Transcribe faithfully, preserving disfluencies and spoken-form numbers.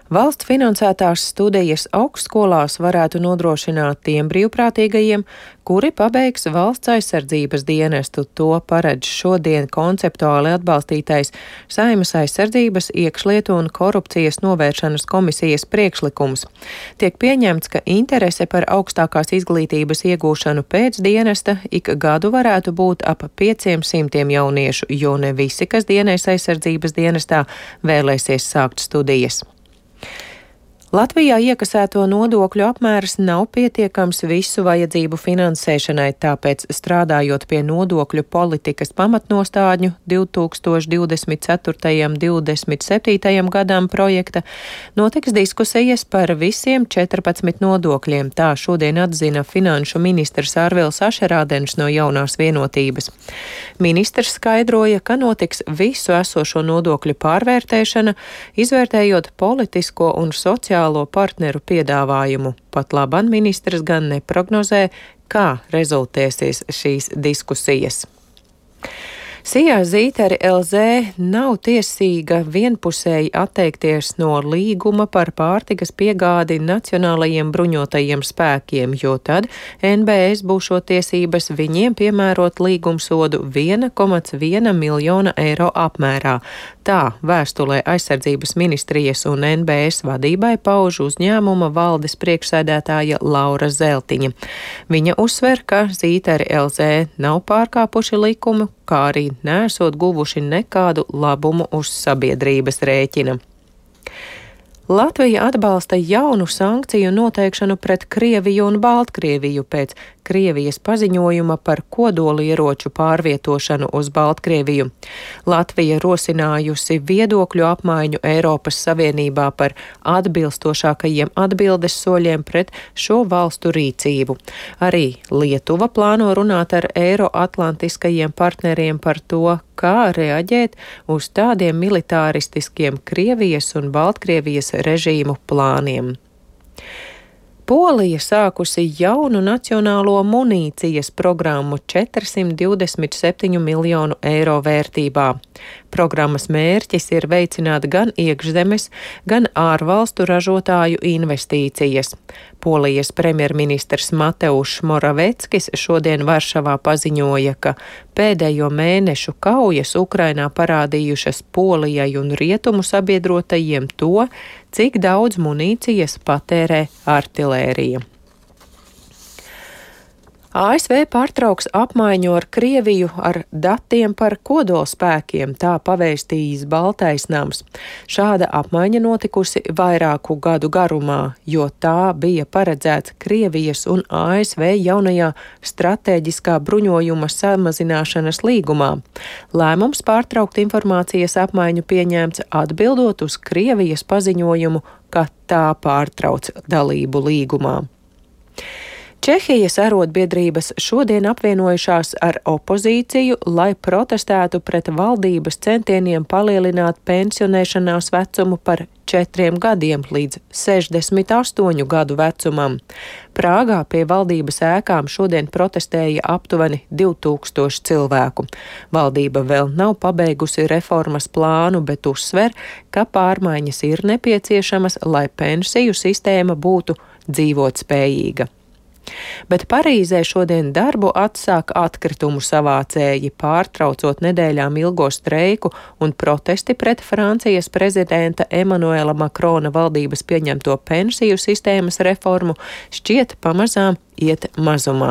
Valsts finansētās studijas augstskolās varētu nodrošināt tiem brīvprātīgajiem, kuri pabeigs valsts aizsardzības dienestu. To paredz šodien konceptuāli atbalstītais Saeimas aizsardzības, iekšlietu un korupcijas novēršanas komisijas priekšlikums. Tiek pieņemts, ka interese par augstākās izglītības iegūšanu pēc dienesta ik gadu varētu būt ap pieciem simtiem jauniešu, jo ne visi, kas dienēs aizsardzības dienestā, vēlēsies sākt studijas. Latvijā iekasēto nodokļu apmērs nav pietiekams visu vajadzību finansēšanai, tāpēc strādājot pie nodokļu politikas pamatnostādņu divi tūkstoši divdesmit ceturtajam līdz divdesmit septītajam gadam projekta, notiks diskusijas par visiem četrpadsmit nodokļiem, tā šodien atzina finanšu ministrs Arvils Ašerādens no Jaunās vienotības. Ministrs skaidroja, ka notiks visu esošo nodokļu pārvērtēšana, izvērtējot politisko un sociālo partneru piedāvājumu. Pat labam ministrs gan neprognozē, kā rezultēsies šīs diskusijas. Sijā Zīteri L Z nav tiesīga vienpusēji atteikties no līguma par pārtikas piegādi Nacionālajiem bruņotajiem spēkiem, jo tad N B S būšot tiesības viņiem piemērot līgumsodu viena komā viena miljona eiro apmērā. Tā vēstulē aizsardzības ministrijas un N B S vadībai pauž uzņēmuma valdes priekšsēdētāja Laura Zeltiņa. Viņa uzsver, ka Zīteri L Z nav pārkāpuši likumu, kā arī neesot guvuši nekādu labumu uz sabiedrības rēķina. Latvija atbalsta jaunu sankciju noteikšanu pret Krieviju un Baltkrieviju pēc Krievijas paziņojuma par kodolieroču pārvietošanu uz Baltkrieviju. Latvija rosinājusi viedokļu apmaiņu Eiropas Savienībā par atbilstošākajiem atbildes soļiem pret šo valstu rīcību. Arī Lietuva plāno runāt ar eiroatlantiskajiem partneriem par to, kā reaģēt uz tādiem militāristiskiem Krievijas un Baltkrievijas režīmu plāniem. Polija sākusi jaunu nacionālo munīcijas programmu četrsimt divdesmit septiņu miljonu eiro vērtībā. Programmas mērķis ir veicināt gan iekšzemes, gan ārvalstu ražotāju investīcijas. Polijas premjerministrs Mateušs Moraveckis šodien Varšavā paziņoja, ka pēdējo mēnešu kaujas Ukrainā parādījušas Polijai un rietumu sabiedrotajiem to, cik daudz munīcijas patērē artilērija. A S V pārtrauks apmaiņu ar Krieviju ar datiem par kodolspēkiem, tā pavēstījis Baltais nams. Šāda apmaiņa notikusi vairāku gadu garumā, jo tā bija paredzēts Krievijas un A S V jaunajā stratēģiskā bruņojuma samazināšanas līgumā. Lēmums pārtraukt informācijas apmaiņu pieņemts atbildot uz Krievijas paziņojumu, ka tā pārtrauc dalību līgumā. Čehijas arotbiedrības šodien apvienojušās ar opozīciju, lai protestētu pret valdības centieniem palielināt pensionēšanās vecumu par četriem gadiem līdz sešdesmit astoņu gadu vecumam. Prāgā pie valdības ēkām šodien protestēja aptuveni divi tūkstoši cilvēku. Valdība vēl nav pabeigusi reformas plānu, bet uzsver, ka pārmaiņas ir nepieciešamas, lai pensiju sistēma būtu dzīvotspējīga. Bet Parīzē šodien darbu atsāk atkritumu savācēji, pārtraucot nedēļām ilgo streiku un protesti pret Francijas prezidenta Emanuela Makrona valdības pieņemto pensiju sistēmas reformu šķiet pamazām iet mazumā.